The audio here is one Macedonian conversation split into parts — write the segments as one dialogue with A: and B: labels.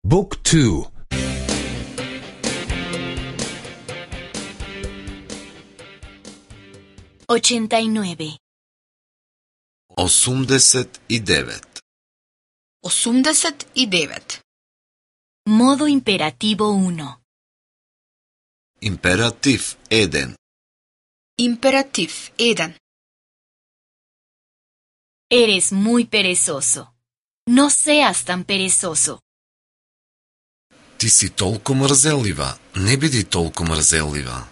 A: Book 2.
B: 89.
C: 89.
D: 89.
B: Modo imperativo 1.
C: Императив 1.
D: Императив 1.
B: Eres muy perezoso. No seas tan perezoso.
C: Ти си толку мрзелива, не биди толку мрзелива.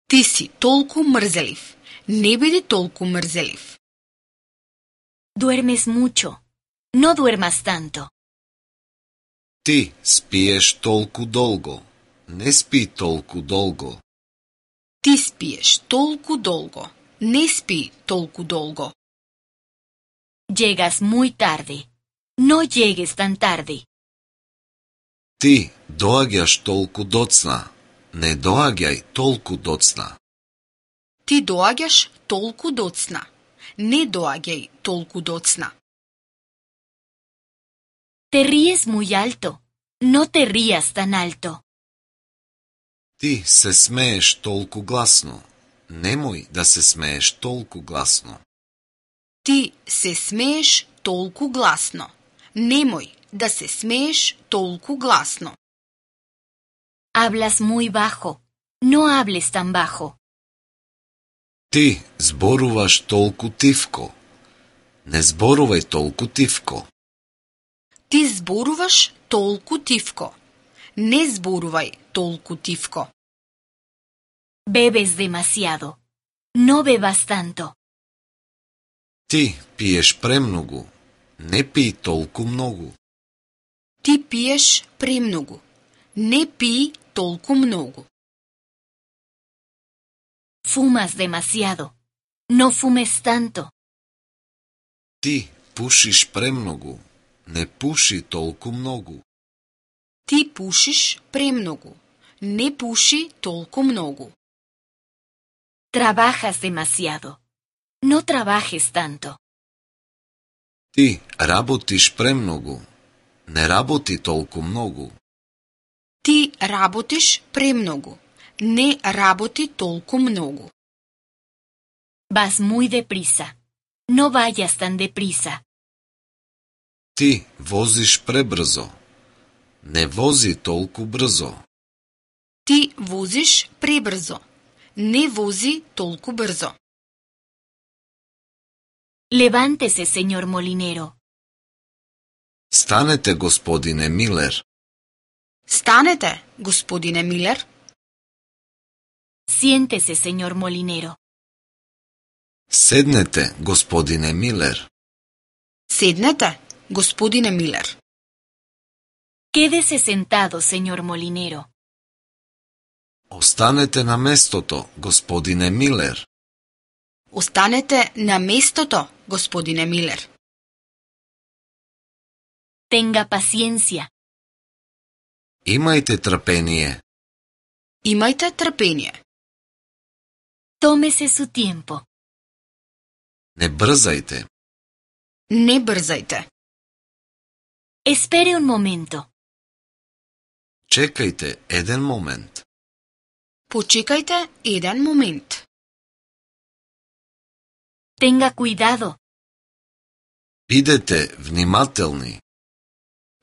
D: Ти си толку мрзелив. Не биди толку мрзелив.
B: Duermes mucho. No duermas tanto.
C: Ти спиеш толку долго, не спи толку долго.
D: Ти спиеш толку долго. Не спи толку долго.
B: Llegas muy tarde. No llegues tan tarde.
C: Ти доаѓаш толку доцна, не доаѓај толку доцна.
D: Ти доаѓаш толку доцна. Не доаѓај толку доцна.
B: Te ríes muy alto. No te rías tan alto.
C: Ти се смееш толку гласно, немој да се смееш толку гласно.
D: Ти се смееш толку гласно. Немој да се смееш толку гласно.
B: Hablas muy bajo. No hables tan bajo.
C: Ти зборуваш толку тивко, не зборувај толку тивко.
D: Ти зборуваш толку тивко. Не зборувај толку тивко.
B: Bebes demasiado. No bebas tanto.
C: Ти пиеш премногу, не пи толку многу.
D: Ти пиеш премногу. Не пи толку многу.
B: Fumas demasiado. No fumes tanto.
C: Ти пушиш премногу, не пуши толку многу.
D: Ти пушиш премногу. Не пуши толку многу.
B: Trabajas demasiado. No trabajes tanto.
C: Ти работиш премногу, не работи толку многу.
D: Ти работиш премногу. Не работи толку многу.
B: Vas muy deprisa. No vayas tan deprisa.
C: Ти возиш пребрзо, не вози толку брзо.
D: Ти возиш пребрзо. Не вози толку брзо.
B: Levántese, señor molinero.
C: Станете, господине Милер.
D: Станете, господине Милер.
B: Siéntese, señor molinero.
C: Седнете, господине Милер.
D: Седнете, господине Милер.
B: Quédese sentado, señor molinero.
C: Останете на местото, господине Милер.
D: Останете на местото, господине Милер.
B: Tenga paciencia.
C: Имајте трпение.
D: Имајте трпение.
B: Tómese su tiempo.
C: Не брзајте.
D: Не брзајте.
B: Espere un momento.
C: Чекајте еден момент.
D: Почекајте еден момент.
B: Tenga cuidado.
C: Бидете внимателни.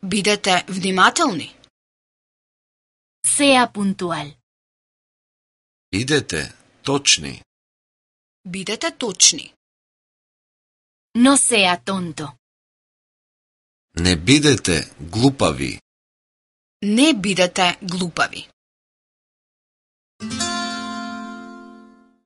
D: Бидете внимателни.
B: Sea puntual.
C: Бидете точни.
D: Бидете точни.
B: No sea tonto.
C: Не бидете глупави.
D: Не бидете глупави.